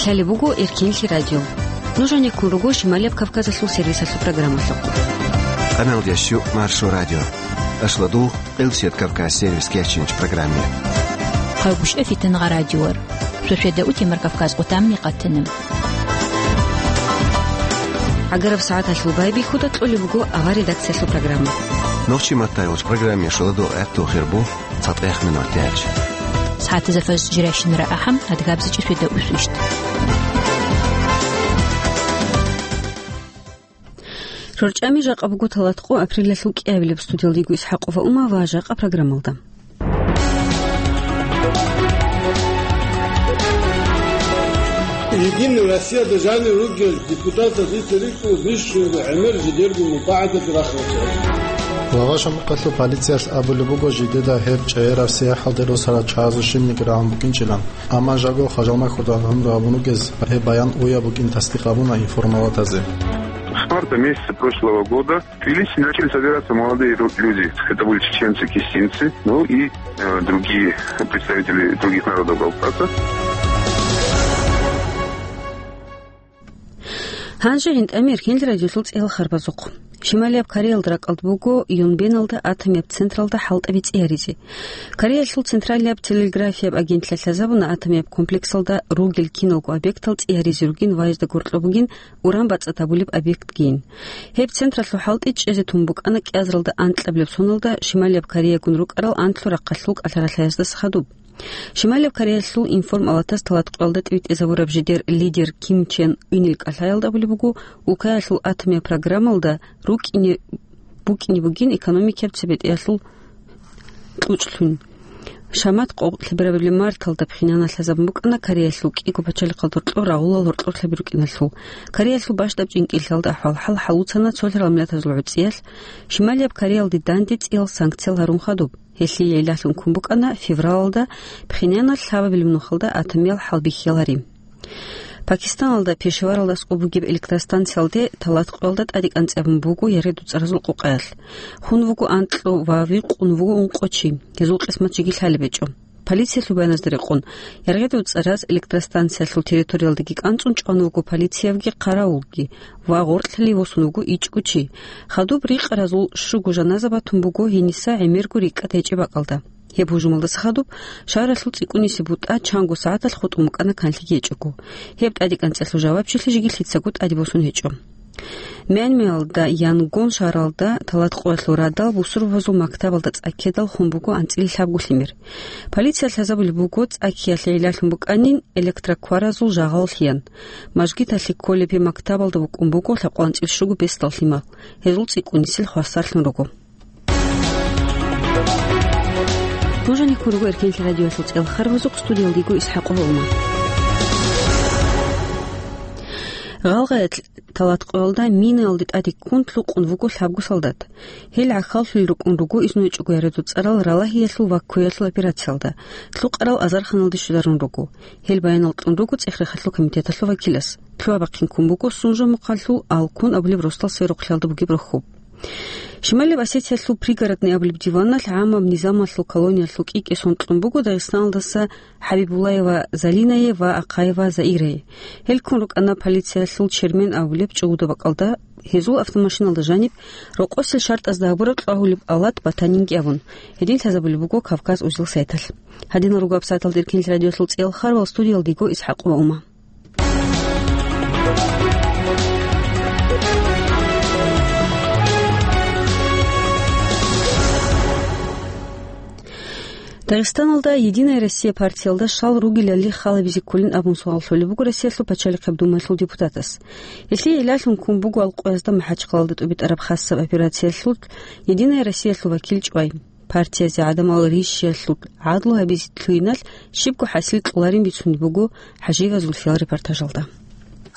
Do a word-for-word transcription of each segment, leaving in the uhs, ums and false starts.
Лъалеб буго Эркинлъи радио. Нуж гьанеккун руго Шималияб Кавказалъул сервисалъул программалъухъ. Къаналдящу Маршо радио. Ашладул Къилсият Кавказ сервис кечинч программе. Хъагушев Фитангъа радиор. Сосведа утемар Кавказ къутамни къатана. ГӀагараб сагӀаталъул байбихьуда кьолеб буго авар редакциялъул программа. Нохчи маттайолч программе шоладо гӀатту хирбу. ЦатӀехъ минутач. СагӀатазда фаз жирайщинара ахӀам, адгабзичӀи светда усвищт. РорчӀами жакъа буго талатӀкъо апрелалъул кӀиабилеб. Студиялда йиго ИсхӀакъова Ума ва жакъа программалда. Единая Россия дажани ругел депутатазе рикӀкӀун бищунго гӀемер жидерго мукъагӀдат рахарал. Лагъа шамухъалъур полициялъ абулеб буго жидеда гьеб чӀегӀераб сияхӀалде росарал чагӀазул щибниги рагӀун букӀинчӀилан, амма жаго хважалмахьуда гӀумру гьабун вугез гьеб баян уяб букӀин тасдикъ гьабуна информалатазе. С марта месяца прошлого года в Тбилиси начали собираться молодые ру-, люди. Это были чеченцы, кистинцы, ну и, э, другие представители других народов Кавказа. Гьанже гӀинтӀамир хинл радиолъул цӀел харбазухъ. Шималияб Кореялда ракӀалда буго Юнбеналда атомияб централда хӀалтӀаби цӀияризе. Кореялъул централияб телеграфияб агентлъиялъ лъазабуна атомияб комплексалда ругел киналго объектал цӀияризе ругин ва гьезда гъоркьоб бугин уран бацӀцӀад гьабулеб объектгийин. Гьеб централъул хӀалтӀи чӀезе тун букӀана кӀиазаралда анкьабилеб соналда Шималияб Кореягун рукӀарал анлъго рахъалъул кӀалъаралъаздаса хадуб. Шималияб Кореялъул информалатас талатӀкъоялда тӀибитӀизабураб жидер лидер Ким Чен Ынил кӀалъаялда абулеб буго, улкаялъул атомияб программалда рукӀине букӀине бугин экономикияб цебетӀеялъул кьучӀлъун. Шамат къо-, лъеберабали марталда пхьинана лъазабун букӀана Кореялъул кӀиго пачалихъалда гьоркьор рагъулал гьоркьор лъаби рукӀиналъул. Кореялъул бащдаб чӀинкӀиллъиялда ахӀвал-хӀал хӀалуцана цолъарал миллатазул гӀуцӀиялъ, Шималияб Кореялде данде цӀиял санкциял гьарун хадуб. Гьелъие илагьун ккун букӀана февралалда пхьинана лъабабилеб нухалда атомиял хӀалбихьиялари. Пакистаналда Пешаваралда аскӀоб бугеб электростанциялде талатӀкъоялда тӀаде кӀанцӀабун буго яргъи-дуцӀаразул къукъаялъ. Хун вуго анкьго ва вихъун вуго ункъо чи, гьезул къисмат жеги лъалеб гьечӀо. Полициялъул баяназда рекъон, яргъи-дуцӀараз электростанциялъул территориялдаги кӀанцӀун чӀван вуго полициябги къаравулги ва гъоркьлъи восун вуго ичӀго чи. Хадуб рикъаразул щуго жаназа батун буго гьениса гӀемерго рикӀкӀад гьечӀеб бакӀалда. Гьеб гьужумалдаса хадуб шагьаралъул цӀикӀкӀунисеб бутӀа чанго сагӀаталъ хутӀун букӀана канлъиги гьечӀого. Гьеб тӀадекӀанцӀалъул жавабчилъи жеги лъицаго тӀаде босун гьечӀо. Мянмаялда Янгон шагьаралда талатӀкъоялъул радал бусурбабазул мактабалда цӀа ккедал хун буго анцӀила лъабго лъимер. Полициялъ лъазабулеб буго, цӀа ккеялъе гӀиллалъун букӀанин электрокваразул жагъал лъиян. Мажгиталъе кколеб гьеб мактабалда букӀун буго лъабкъоялда анцӀила щуго бесдал лъимал. Гьезул цӀикӀкӀунисел хвасарлъун руго. Нуж гьанеккун руго Эркенлъи радиоялъул цӀел харбазухъ, студиялда йиго ИсхӀакъова Ума. Гъалгъаялъ талатӀкъоялда минаялде тӀаде ккун лъукъун вуго лъабго солдат. Гьел гӀахьаллъулел рукӀун руго изну гьечӀого яргъи-дуцӀарал ралагьиялъул ва кквеялъул операциялда, лъукъарал азарханалде щвезарун руго. Гьел баянал кьун руго ЦӀехрехалъул комитеталъул вакилас. Лъугьа-бахъин ккун буго Сунжа-Мухъалъул Алкун абулеб росдал сверухълъиялда бугеб рохьоб. Шималияб Осетиялъул Пригородный абулеб диваналъ гӀаммаб низамалъул колониялъул кӀи-кӀисон кьун буго Дагъистаналдаса ХӀабибуллаева Залинае ва Ахъаева Заирае. Гьел ккун рукӀана полициялъул Чермен абулеб чӀугуда бакӀалда, гьезул автомашиналда жаниб рокъосел шартӀазда гьабураб кьвагьулеб алат батанинги абун. Гьедин лъазабулеб буго Кавказ узел сайталъ. Гьадинал руго гьабсагӀаталда Эркенлъи радиоялъул цӀел харбал, студиялда йиго ИсхӀакъова Ума. Дагъистаналда «Единая Россия» партиялда щал ругелали халабизе кколин абун суал лъолеб буго Россиялъул пачалихъаб думаялъул депутатас. Гьелъие гӀиллалъун ккун буго Алкъоязда МахӀачхъалалда тӀубитӀараб хасаб операциялъул «Единая Россиялъул» вакил чӀвай. Партиязе гӀадамал рищиялъул гӀадлу гьабизе лъугьиналъ щибго хӀасил кьоларин бицунеб буго ХӀажиева Зульфиял репортажалда.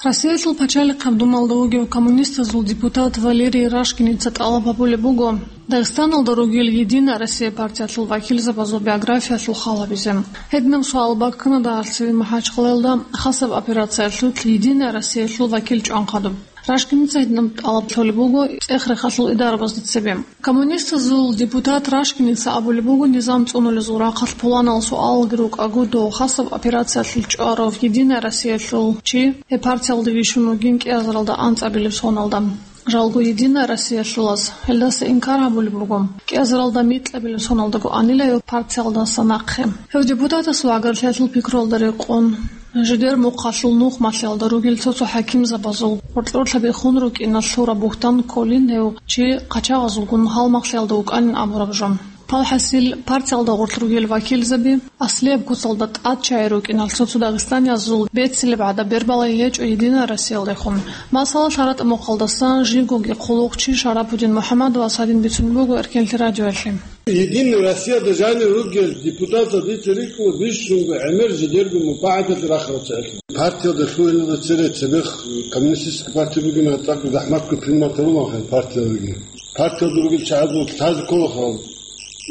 Россиялъул пачалихъаб думалда вугев коммунистазул депутат Валерий Рашкиница тӀалаб гьабулеб буго Дагъистаналда ругел «Единая Россия» партиялъул вакилзабазул биографиялъул хал гьабизе. Гьединаб суал баккана дагьалъ цеве МахӀачхъалаялда хасаб операциялъулъ «Единая Россиялъул» вакил чӀван хадуб. Рашкиница гьединаб тӀалаб лъолеб буго цӀех-рехалъул идарабазда цебе. Коммунистазул депутат Рашкиница абулеб буго, низам цӀунулезул рахъалъ пуланал суалалги рукӀаго, дов хасаб операциялъул чӀварав «Единая Россиялъул» чи гьеб партиялде вищун вугин кӀиазаралда анцӀабилеб соналда. Жалго «Единая Россиялъулаз» гьелдаса инкар гьабулеб буго. КӀиазаралда микьабилеб соналдаго анила гьев партиялдаса нахъе. Гьев депутатасул гӀагарлъиялъул пикруялда рекъон, жидер мухъалъул нухмалъиялда ругел цо-цо хӀакимзабазул гъоркьорлъаби хун рукӀиналъ лъураб бугьтан кколин гьев чи къачагъазулгун гьалмагълъиялда вукӀанин абураб жо. Палхасил партиялда гъорлъ ругел вакилзаби аслияб куцалда тӀад чагӀи рукӀиналъ цо-цо дагъистаниязул беццилеб гӀадаб бербалай гьечӀо «Единая Россиялдехун». Масала, лъаратӀа мухъалдасан живгоги хъулухъчи Шарапудин МухӀаммадовас гьадин бицун буго Эркенлъи радиоялъе. «Единая Россиялда» жанив ругел депутатал дица рикӀкӀуна бищунго гӀемер жидерго мубагӀаталъе рахарал чагӀилъун. Партиялда лъугьиналда цере цебехъ коммунистический парти бугеб мехалъ цӀакъ захӀматго принимать гьарулаанха партиялдаги. Партиялда ругел чагӀазул лъазе кколаха,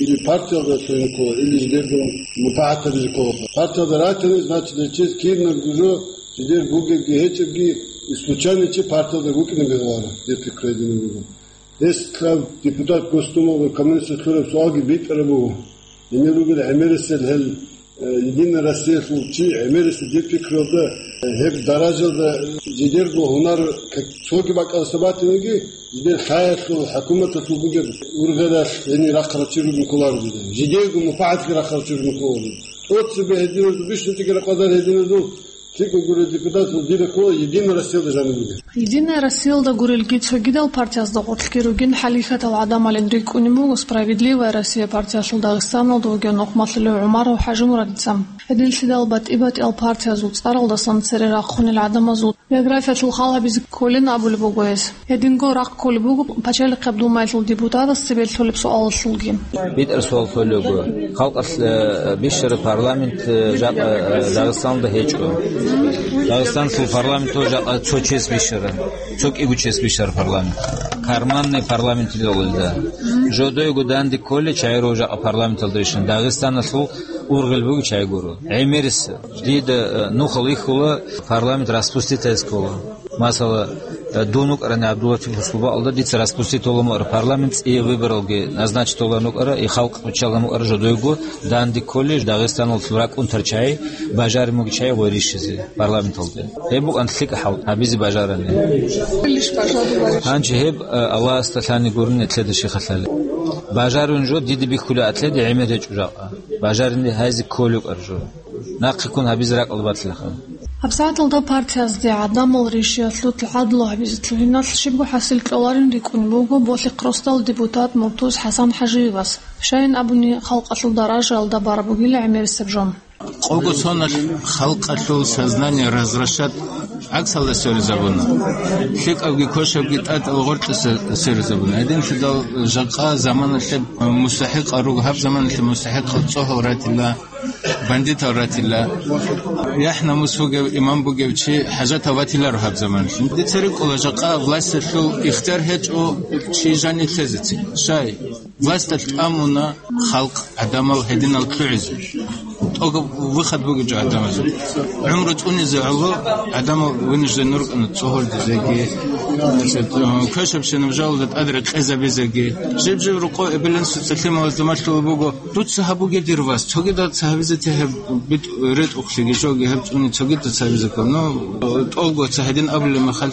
или партиялда лъугьине ккола, или жидерго мубагӀат гьабизе кколаха. Партиялда ратани, значит, гьечез кирнабго жо, жидер бугебги гьечӀебги, исключение чи партиялда букӀине бегьуларо, дир пикру гьединаб буго. Гьес лъаб депутат Госдумаялда коммунистаз лъураб суалги битӀараб буго. Гьенир ругел гӀемерисел гьел, э, «Единая Россиялъул» чи гӀемерисел дир пикруялда, э, гьеб даражалда жидерго гьунар к-, цоги бакӀалдаса батаниги, жидер лъаялъул, хӀукуматалъул бугеб ургъелалъ гьенир рахъарав чи ругин кколаро жидер. Жидерго мубагӀатги рахъарав чи ругин кколаро. ТӀоцебе гьединазул, бищунтӀиги ракъадар гьединазул, ЛъикӀа гурел депутатал дир ккола «Единая Россиялда» жаниб бугеб. «Единая Россиялда» гурелги цогидал партиязда гъорлъги ругин хӀалихьатал гӀадамалин рикӀкӀунеб буго «Справедливая Россия» партиялъул Дагъистаналда вугев нухмалъулев ГӀумаров ХӀажимурадица. Гьединлъидал батӀи-батӀиял партиязул цӀаралдасан цере рахъунел гӀадамазул биографиялъул хал гьабизе кколин абулеб буго гьес. Гьединго рахъ кколеб буго Пачалихъаб Думаялъул депутатас цебе лъолеб суалалъулги. БитӀар суал лъолеб буго. Халкъалъ, э, бищараб парламент, э, жакъа, э, Дагъистаналда гьечӀо. Дагъистаналъул парламенталда жакъа цо чияс бищараб, цо кӀиго чияс бищараб парламент. Карманный парламент илалда. Жодойго данде кколей чагӀи руго жакъа парламенталда ишан. Дагъистаналъул ургъел буго чагӀи гуро. ГӀемерисел. Дида, э, нухал ихьула парламент распустить гьабизе ккола. Масала, э, дун вукӀарани ГӀабдуллатипасул бакӀалда дица распустить гьабулеб букӀара парламент, цӀияб выборалги назначить гьабулеб букӀара, и халкъ виччалеб букӀара жодойго данде кколей Дагъистаналъул ракӀунтарал чагӀи бажарин бугеб чагӀи гъой рищизе парламенталде. Гьеб букӀана лъикӀаб хӀал гьабизе бажарани. Гьанже гьеб, э, Аллагьасда лъани гурони нилъеда щиб халалъи. Бажарун жо дида бихьулеб атледи гӀемер гьечӀо жакъа. Бажарин гьайзе кколеб букӀара жо. Нахъе ккун гьабизе ракӀалда батилаха. ГьабсагӀаталда партиязде гӀадамал ришиялъул гӀадлу гьабизе лъугьиналъ щибго хӀасил кьоларин рикӀкӀунеб буго Болъихъ росдал депутат Муртуз ХӀасан ХӀажиевас. Щайин абуни, халкъалъул даражаялда бараб бугила гӀемерисеб жо. Къого соналъ халкъалъул сознание развращать гӀаксалда сверизабуна. ЛъикӀабги квешабги тӀатӀал гъоркье се-, сверизабуна. Гьединлъидал жакъа заманалъе мустахӀикъал руго, гьаб заманалъе мустахӀикъал цӀогьал ратила, бандитал ратила, яхӀ-намус бугев, иман бугев чи хӀажатав ватиларо гьаб заманалъ. Дица рикӀкӀуна, жакъа власталъул ихтияр гьечӀо чи жанив лъезецин. Щай? Власталъ тӀамуна халкъ, гӀадамал гьединал лъугӀизе. ТӀокӀаб выход бугеб жо гӀадамазул. ГӀумру цӀунизе гӀоло гӀадамал вынужден рукӀана цӀогьордизеги, квешабщинаб жоялда тӀад рекъезабизеги. Жиб-жиб рокъов эбел-инсуца лъималазда малъулеб буго. Дуца гьабуге, дир вас, цогидал ца гьабизе те гьеб битӀ-, ретӀухълъиги жоги гьеб цӀуни цогидал ца гьабизе ккола. Ну, тӀолго ца гьедин абулеб мехалъ,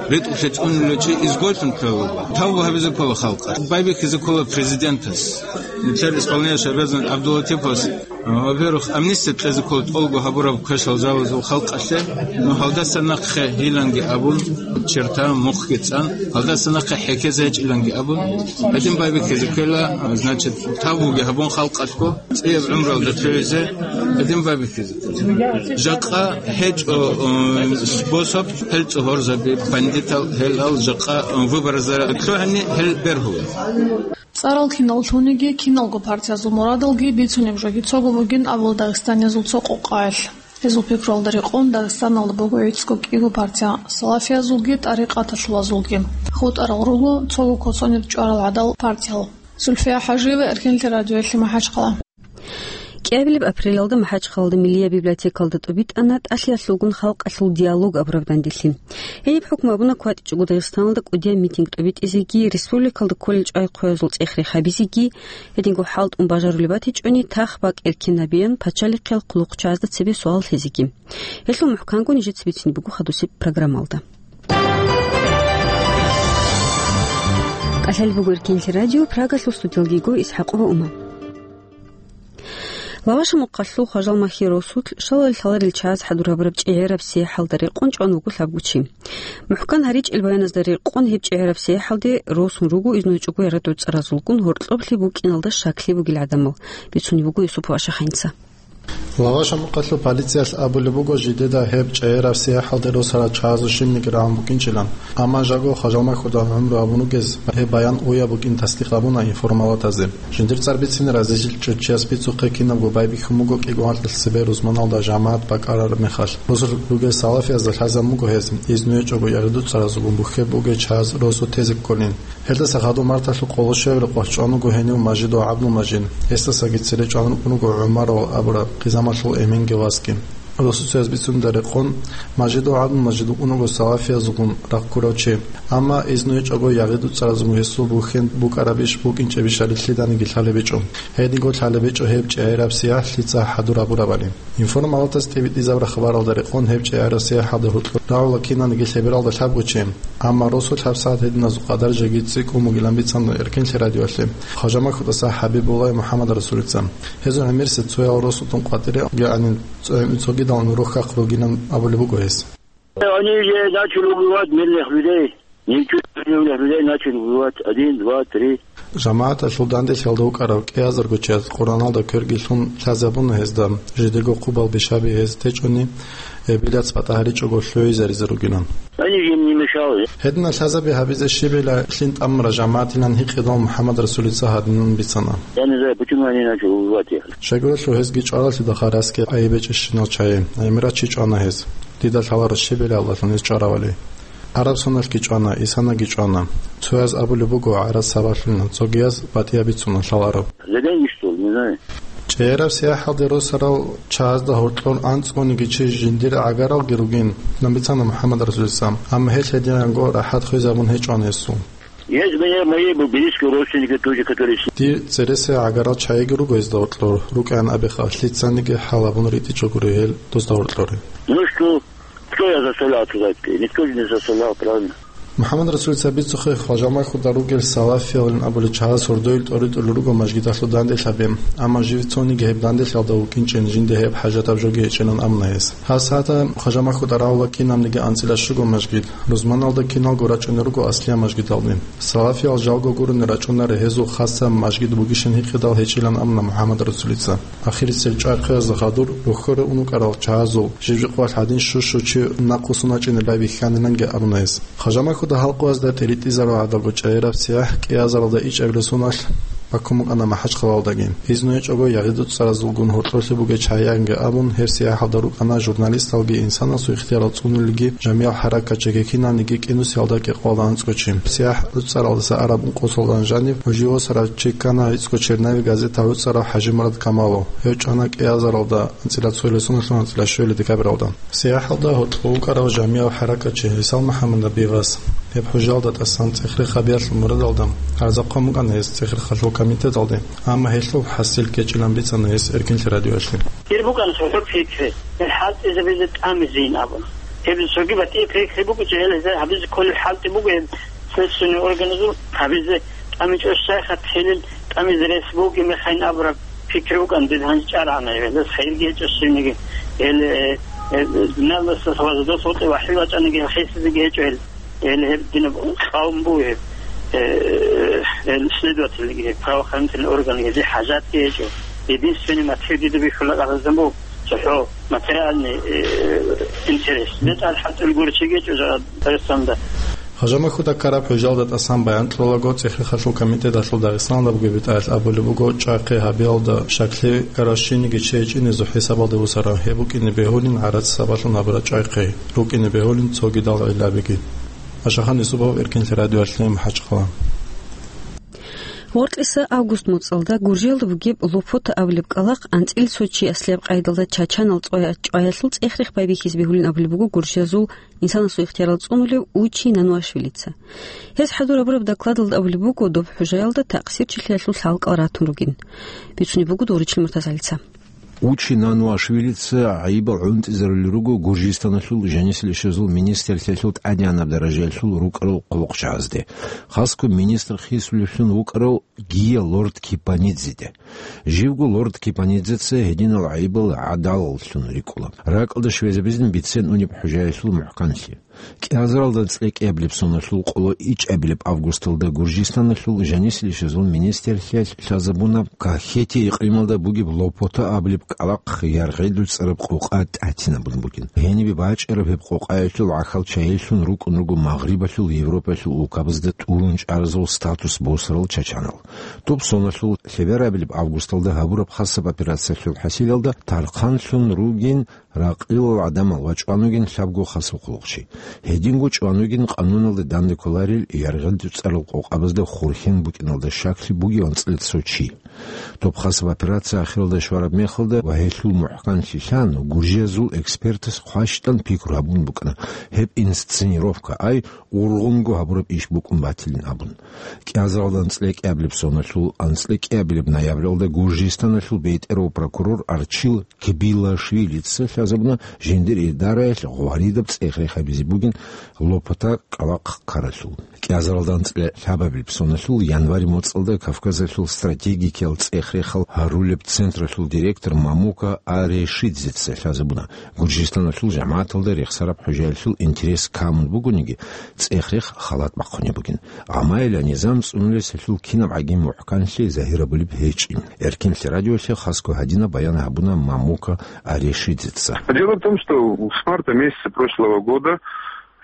ретӀухълъи цӀунулев чи изгойлъун ккола. Тавбу гьабизе ккола халкъалъ. Байбихьизе ккола президентас. Нилъер исполняющий обязанность ГӀабдуллатиповас, во-первых, амнистия кьезе ккола тӀолго гьабураб квешал жалазул халкъалъе. Ну, гьалдаса нахъе гьиланги абун, черта мухъги цӀан, гьалдаса нахъе хӀехьезе гьечӀиланги абун, гьедин байбихьизе ккела, значит, тавбуги гьабун халкъалъго, цӀияб гӀумруялда лъугӀизе, гьедин байбихьизе. Жакъа гьечӀо, э, способ, гьел цӀогьорзаби, бандитал, гьелал жакъа, э, выборазда лъугӀани гьел бергьула. ЦӀарал кинал лъуниги, киналго партиязул мурадалги бицунеб жоги цого бугин абула дагъистаниязул цо къокъаялъ. Гьезул пикруялда рекъон Дагъистаналда буго гӀицӀго кӀиго партия, салафиязулги тӀарикъаталъулазулги. ХутӀарал руго цого коцонир чӀварал гӀадал партиял. Зульфия ХӀажиева, Эркенлъи радиоялъе, МахӀачхъала. КӀиабилеб апрелалда МахӀачхъалалда Миллияб библиотекалда тӀубитӀана тӀалъиялъулгун халкъалъул диалог абураб данделъи. Гьениб хӀукму абуна кватӀичӀого Дагъистаналда кӀудияб митинг тӀубитӀизеги, республикалда кколел чӀвай-хъвеязул цӀех-рех гьабизеги, гьединго хӀалтӀун бажарулеб батичӀони, тах-бакӀ эркинабеян пачалихъиял хъулухъчагӀазда цебе суал лъезеги. Гьелъул мухӀканго нижеца бицине буго хадусеб программалда. КӀалъалеб буго Эркенлъи радио, Прагалъул студиялги йиго ИсхӀакъова Ума. Лаваша мухъалъул Хважалмахьи росулъ шалал лъаларел чагӀаз хӀадур гьабураб чӀегӀераб сияхӀалда рекъон чӀван вуго лъабго чи. МухӀкан гьаричӀел баяназда рекъон гьеб чӀегӀераб сияхӀалде росун руго изнуй чӀого ягъи дуцӀаразулгун гьоркьоблъи букӀиналда щаклъи бугел гӀадамал, бицунеб буго Юсупов Ашахъинца. Лаваша мухъалъул полициялъ абулеб буго, жидеда гьеб чӀегӀераб сияхӀалде росарал чагӀазул щибниги рагӀун букӀинчӀилан. Амма жаго Хважалмахьуда гӀумру гьабун ругез гьеб баян уяб букӀин тасдикъ гьабуна информалатазе. Жиндир цӀар бицине разилъичӀев чияс бицухъе кинабго байбихьун буго кӀиго-анкьил цебе рузманалда жамагӀат бакӀарараб мехалъ. Росулъ ругел салафиязда лъазабун буго гьез, изну гьечӀого ягъи дуцӀаразулгун бухьеб бугел чагӀаз росу тезе кколин. Гьелдаса хадуб марталъул къоло щуабилеб къоялъ чӀван вуго гьенив Мажидов ГӀабдулмажид. Гьесдасаги цере чӀван рукӀун руго ГӀумарал абураб Хъизамалъул эменги васги. Росуца гьез бицунеб рекъон, Мажидов ГӀабдулмажид вукӀун вуго салафиязулгун рахъ ккурав чи. Амма изну гьечӀого ягъи дуцӀаразулгун гьесул бухьен букӀарабищ букӀинчӀебищ гьариллъиданиги лъалеб гьечӀо. Гьединго лъалеб гьечӀо гьеб чӀегӀераб сияхӀ лъица хӀадур гьабурабали. Информалатас тӀибитӀизабураб хабаралда рекъон гьеб чӀегӀераб сияхӀалде гьоркьор рагӀула кинаниги лъебералда лъабго чи. Амма росулъ гьабсагӀат гьединазул къадар жеги цӀикӀкӀун бугилан бицана Эркенлъи радиоялъе Хважамахьудаса ХӀабибуллай МухӀаммадрасулица. Гьезул гӀемерисеб цоял росулъун къватӀире гӀанин цо-, цогидал нурухъ хъахъ ругилан абулеб буго гьес. Они же начали убивать мирных людей. Ничего не убивали, людей начали убивать. Один, два, три. ЖамагӀаталъул данделъиялда вукӀарав кӀиазарго чияс Къуръаналда кверги лъун лъазабуна гьезда, жидерго хъубал бишаби гьез течӀони, гьеб билац батӀа гьаричӀого лъугӀизаризе ругилан. Они же им не мешали. Гьединал лъазаби гьабизе щибила лъин тӀамураб жамагӀатилан гьикъидал МухӀаммадрасулица гьадинан бицана. Я не знаю, почему они начали убивать их. Щайгурелъул гьезги чӀваралъидал харасги гӀайиб гьечӀищинал чагӀи, гӀемерав чи чӀвана гьез. Дида лъаларо щибила Аллагьлъун гьез чӀваравали. Араб соналъги чӀвана, исанаги чӀвана. Цояз абулеб буго гӀарац сабаблъунилан, цогияз батӀияб бицуна лъаларо. За деньги, что ли, не знаю. ЧӀегӀераб сияхӀалде росарал чагӀазда гьоркьор анцӀгониги чи жиндир гӀагаралги ругин, бицана МухӀаммадрасулица, амма гьел гьединго рахӀат хвезабун гьечӀоан гьесул. Есть у меня мои близкие родственники тоже, которые с- Дир цересел гӀагарал чагӀиги руго гьезда гьоркьор, рукӀаян абеха, лъицаниги хӀал гьабун ритӀичӀогури гьел дозда гьоркьоре. Ну что, кто я заставлял туда идти? Никто же не заставлял, правильно? МухӀаммадрасулица бицухъе, Хважамахьуда ругел салафиялин абулел чагӀаз гьордоел тӀоритӀулел руго мажгиталъул данделъаби, амма жив цониги гьеб данделъалда вукӀинчӀин жинда гьеб хӀажатаб жоги гьечӀилан абуна гьес. ГьасагӀатда Хважамахьуда рагӀула кинабниги анцӀила щуго мажгит, рузманалда киналго рачӀунел руго аслияб мажгиталде. Салафиял жалго гурони рачӀунарел гьезул хасаб мажгит бугищин гьикъидал гьечӀилан абуна МухӀаммадрасулица. Ахирисел чӀвай-хъвеязда хадур рохьоре ун рукӀарал чагӀазул жиб-жиб къоялъ гьадин щу-щу чи нахъвуссун вачӀине байбихьаниланги абуна гьес. Хважамахьуда халкъазда тӀиритӀизарул гӀадабго чӀегӀераб сияхӀ кӀиазаралда ичӀабилеб соналъ баккун букӀана МахӀачхъалалдаги. Изну гьечӀого ягъи дуцӀаразулгун гьоркьорлъи бугел чагӀиянги абун, гьеб сияхӀалда рукӀана журналисталги, инсанасул ихтиярал цӀунулелги, жамиял хӀаракатчиги, киналниги кӀинусиялда кӀикъоялда анцӀго чи. СияхӀ дуцӀаралдаса араб ункъо соналъ жаниб гьужи восарав чи ккана гӀицӀго черновик газеталъ гӀуцӀарав ХӀажимурад Камалов. Гьев чӀвана кӀиазаралда анцӀила цоялъ соналъ анцӀила щуялъ декабралда. СияхӀалда гьоркьор вукӀарав жамияв хӀаракатчи ГӀисал МухӀаммадов Бигъас. Гьеб хӀужалда тӀасан цӀех-рех гьабиялъул мурадалда гӀарза хъван букӀана гьес цӀех-рехалъул комитеталде, амма гьелъул хӀасил ккечӀилан бицана гьес Эркинлъи радиоялъе. Гьеб букӀана цохӀо пикри, гьел хӀалтӀизабизе тӀамизейин абун. Гьеб цоги батӀияб пикри букӀинчӀо, гьел гьезда гьабизе кколеб хӀалтӀи буго гьеб следственный органазул гьабизе тӀамичӀо, щайха телил тӀамизе рес бугеб мехайин абураб пикри букӀана, дир гьанже чӀарагӀана гьелдаса хайирги гьечӀо щибниги. Гьел, э, э, диналдаса вазадаса вокьи вахӀил вачӀаниги гьел хисизеги гьечӀо гьел. Гьел гьеб динаб къавм буго гьеб, э, гьел следовательги, гьеб правоохранительный органги, гьезие хӀажатги гьечӀо. Единственный мотив дида бихьула къагъизан буго, цохӀо материальный, э, интерес. БетӀал хӀалтӀул гурчи гьечӀо жа-, Дагъистанда. Хажамахьуда ккараб хӀужалда тӀасан баян кьолаго цӀех-рехалъул комитеталъул Дагъистаналда бугеб бетӀаялъ абулеб буго, чӀахъи гьабиялда щаклъи ккарав щиниги чи гьечӀинезул хӀисабалде бусарав, гьеб букӀине бегьулин гӀарац сабаблъун гьабураб чӀахъи, рукӀине бегьулин цогидал гӀиллабиги. Ашахан Юсупов, Эркинлъи радиоялъе, МахӀачхъала. Гъоркьиса август моцӀалда Гуржиялда бугеб Лопота абулеб кӀкӀалахъ анцӀила цо чи аслияб къайдалда чачанал цӀоя-, чӀваялъул цӀех-рех байбихьизе бегьулин абулеб буго Гуржиязул инсанасул ихтиярал цӀунулев Учи Нануашвилица. Гьез хӀадур гьабураб докладалда абулеб буго доб хӀужаялда такъсирчилъиялъул лъалкӀал ратун ругин. Бицунеб буго Доричил МуртазагӀалица. Учи Нануашвилица гӀайибал гӀунтӀизарулел руго Гуржистаналъул жанисел ишазул министрлъиялъул тӀадегӀанаб даражаялъул рукӀарал хъулухъчагӀазде. Хасго министр хисулевлъун вукӀарав Гия Лорд Кипанидзеде. Живго Лорд Кипанидзеца гьединал гӀайибал гӀадалаллъун рикӀкӀула. РакӀалда щвезабизин бицен унеб хӀужаялъул мухӀканлъи. КӀиазаралда анцӀила кӀиабилеб соналъул къоло ичӀабилеб августалда Гуржистаналъул жанисел ишазул министрлъиялъ лъазабуна Кахетия икълималда бугеб Лопота абулеб кӀкӀалахъ яргъел дуцӀараб къокъа тӀатинабун бугин. Гьенибе бачӀараб гьеб къокъаялъул гӀахьал чагьилъун рукӀун руго Магърибалъул Европаялъул улкабазда тӀурун чӀаразул статус босарал чачанал. Доб соналъул лъеберабилеб августалда гьабураб хасаб операциялъул хӀасилалда тархъанлъун ругин ракъилал гӀадамал ва чӀван вугин лъабго хасаб хъулухъчи. Гьединго чӀван вугин къануналда данде кколарел яргъел дуцӀарал къокъабазда хурхен букӀиналда щаклъи бугев анцӀила цо чи. Доб хасаб операция ахиралда щвараб мехалда ва гьелъул мухӀканлъи лъан, гуржиязул экспертас хъващтӀан пикру гьабун букӀана, гьеб инсценировка, ай, ургъунго гьабураб иш букӀун батилин абун. КӀиазаралда анцӀила кӀиабилеб соналъул анцӀила кӀиабилеб ноябралда Гуржистаналъул бетӀерав прокурор Арчил Кбилашвилица лъазабуна жиндир идараялъ гъваридаб цӀех-рех гьабизе бугин Лопота кӀкӀалахъ ккаралъул. КӀиазаралда анцӀила лъабабилеб соналъул январь моцӀалда Кавказалъул стратегикиял цӀех-рехал гьарулеб централъул директор Мамука Арешидзеца лъазабуна, Гуржистаналъул жамагӀаталда рехсараб хӀужаялъул интерес камун бугониги, цӀех-рех халат бахъунеб бугин. Гьамаила низам цӀунулес гьелъул кинаб гӀаги мухӀканлъи загьир гьабулеб гьечӀин. Эркенлъи радиолъе хасго гьадинаб баян гьабуна Мамука Арешидзеца. Дело в том, что с марта месяца прошлого года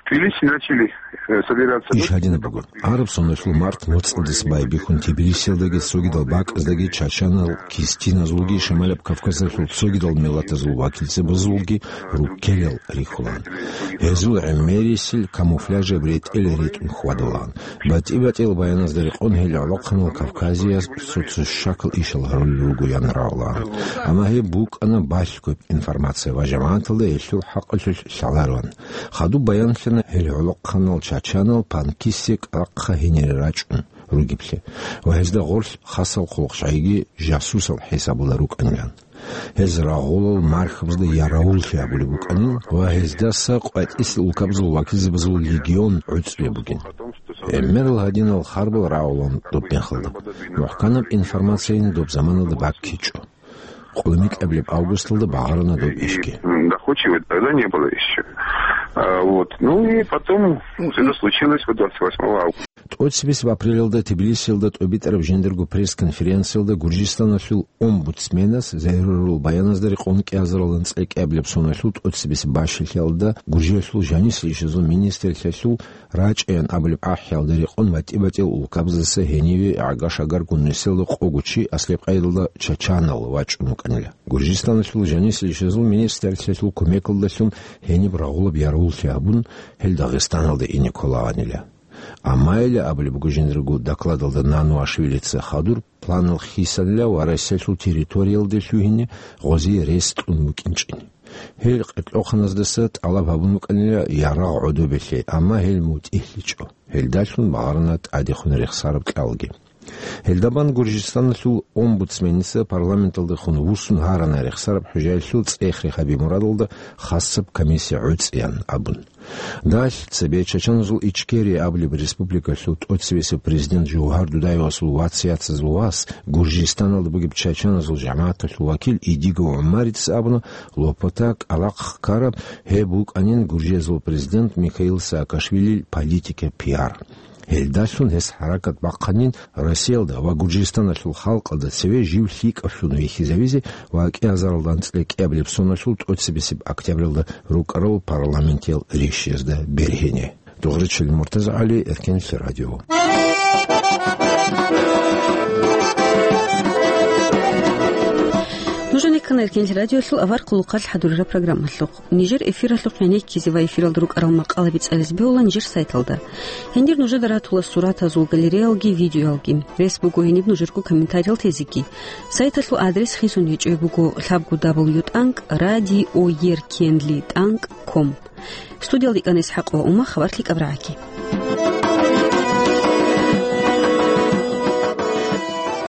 в Тбилиси начали, э, собираться... Иш гьадинаб буго. Араб соналъул март моцӀалдаса байбихьун Тбилисиялдаги цогидал бакӀаздаги чачанал, кистиназулги Шамалаб Кавказалъул цогидал миллатазул вакилцабазулги руккелал рихьулаан. Гьезул гӀемерисел камуфляжаб ретӀел ретӀун хьвадулаан. БатӀи-батӀиял баяназда рекъон гьел гӀолохъанал Кавказияс цо-цо щакал ишал гьарулел ругоян рагӀулаан. Амма гьеб букӀана балъгояб информация ва жамагӀаталда гьелъул хӀакъалъулъ лъалароан. Хадуб баянлъана гьел гӀолохъанал чачанал панкиссе кӀкӀалахъа гьенире рачӀун ругеблъи ва гьезда гъорлъ хасал хъулухъчагӀиги жасусал хӀисабула рукӀанилан. Гьез рагъулал мархабазда яравуллъи гьабулеб букӀанин ва гьездаса къватӀисел улкабазул вакилзабазул легион гӀуцӀулеб бугин. ГӀемерал гьадинал харбал рагӀулаан доб мехалда. МухӀканаб информацияни доб заманалда баккичӀо. Къулмикьабилеб августалда багъарана доб ишги. Доходчивый тогда не было ещё. А, вот. Ну и потом всё это случилось вот двадцать восьмого августа. ТӀоцебесеб апрелалда Тбилисиялда тӀобитӀараб жиндирго пресс-конференциялда Гуржистаналъул омбудсменас загьирурал баяназда рекъон кӀиазарал анцӀила кӀиабилеб соналъул тӀоцебесеб бащалъиялда Гуржиялъул жанисел ишазул министрлъиялъул рачӀаян абулеб ахӀиялда рекъон батӀи-батӀиял улкабаздаса гьениве гӀага-шагар гуннисел къого чи аслаб къайдалда чачанал вачӀун вукӀанила. Гуржистаналъул жанисел ишазул министрлъиялъул кумекалдалъун гьениб рагъулаб яравуллъи гьабун, гьел Дагъистаналда ине кколаанила. Амма гьеле абулеб буго жиндирго докладалда Нануашвилица хадур планал хисанила ва Россиялъул территориялде лъугьине гъозие рес кьун букӀинчӀин. Гьел къеркьохъаназдаса тӀалаб гьабун букӀанила ярагъ гӀодобелъе, амма гьел мутӀигьлъичӀо. Гьелдалъун багъарана тӀадехун рехсараб кьалги. Гьелдабан Гуржистаналъул омбудсменица парламенталдехун вуссун гьарана рехсараб хӀужаялъул цӀех-рехаби мурадалда хасаб комиссия гӀуцӀиян абун. Далъ цебе чачаназул Ичкерия абулеб республикалъул тӀоцебесеб президент Жугьар Дудаевасул вац-яцазул вас, Гуржистаналда бугеб чачаназул жамагӀаталъул вакил Идигов ГӀумарицас абуна, Лопота кӀкӀалахъ ккараб гьеб букӀанин Гуржиязул президент Михаил Саакашвилил политика пиар. Гьелдалъун гьес хӀаракат бахъанин Россиялда ва Гуржистаналъул халкъалда цеве жив лъикӀавлъун вихьизавизе ва кӀиазаралда анцӀила кӀиабилеб соналъул тӀоцебесеб октябралда рукӀарал парламентиял ришшизда бергьине. Дугъричил МуртазагӀали, Эркенлъи радио. Нуж гьанир ккана Эркенлъи радиолъул авар хъулухъалъ хӀадурараб программалъухъ. Нижер эфиралъухъ гӀенеккизе ва эфиралда рукӀарал макъалаби цӀализе бегьулаан нижер сайталда. Гьендир нужеда ратула суратазул галереялги видеоялги. Рес буго гьениб нужерго комментариял тезеги. Сайталъул адрес хисун гьечӀеб буго лъабго дабл ю тӀанкӀ радиоеркенли тӀанкӀ ком. Студиялда икӀана ИсхӀакъ ва Ума, хабар лъикӀаб рагӀаги.